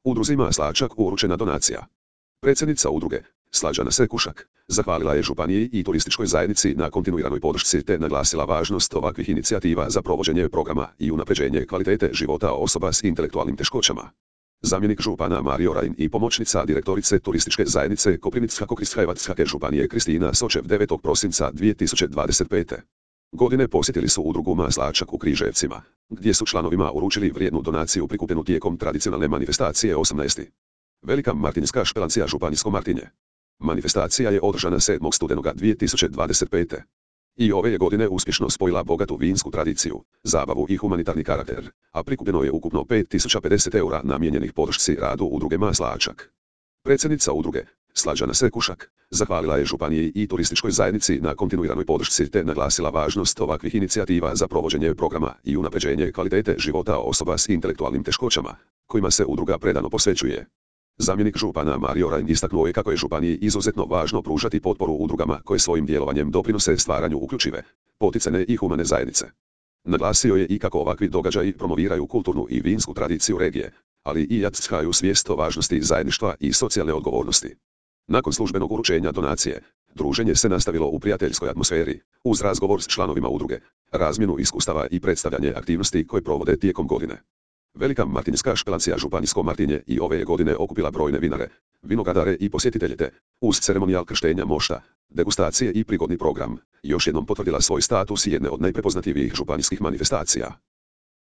Udruzi Maslačak uručena donacija. Predsjednica udruge, Slađana Sekušak, zahvalila je županiji i turističkoj zajednici na kontinuiranoj podršci te naglasila važnost ovakvih inicijativa za provođenje programa i unapređenje kvalitete života osoba s intelektualnim teškoćama. Zamjenik župana Mario Rajn i pomoćnica direktorice turističke zajednice Koprivnicko-Križevačke županije Kristina Sočev 9. prosinca 2025. godine posjetili su udrugu Maslačak u Križevcima, gdje su članovima uručili vrijednu donaciju prikupljenu tijekom tradicionalne manifestacije 18. Velika Martinska špelancija Županijsko Martinje. Manifestacija je održana 7. studenoga 2025. I ove je godine uspješno spojila bogatu vinsku tradiciju, zabavu i humanitarni karakter, a prikupljeno je ukupno 5050 eura namijenjenih podršci radu udruge Maslačak. Predsjednica udruge, Slađana Sekušak, zahvalila je županiji i turističkoj zajednici na kontinuiranoj podršci te naglasila važnost ovakvih inicijativa za provođenje programa i unapređenje kvalitete života osoba s intelektualnim teškoćama, kojima se udruga predano posvećuje. Zamjenik župana Mario Rajn istaknuo je kako je županiji izuzetno važno pružati potporu udrugama koje svojim djelovanjem doprinose stvaranju uključive, poticajne i humane zajednice. Naglasio je i kako ovakvi događaji promoviraju kulturnu i vinsku tradiciju regije, ali i jačaju svijest o važnosti zajedništva i socijalne odgovornosti. Nakon službenog uručenja donacije, druženje se nastavilo u prijateljskoj atmosferi, uz razgovor s članovima udruge, razmjenu iskustava i predstavljanje aktivnosti koje provode tijekom godine. Velika Martinska špelancija Županijsko Martinje i ove je godine okupila brojne vinare, vinogradare i posjetitelje te, uz ceremonijal krštenja mošta, degustacije i prigodni program, još jednom potvrdila svoj status jedne od najprepoznatljivijih županijskih manifestacija.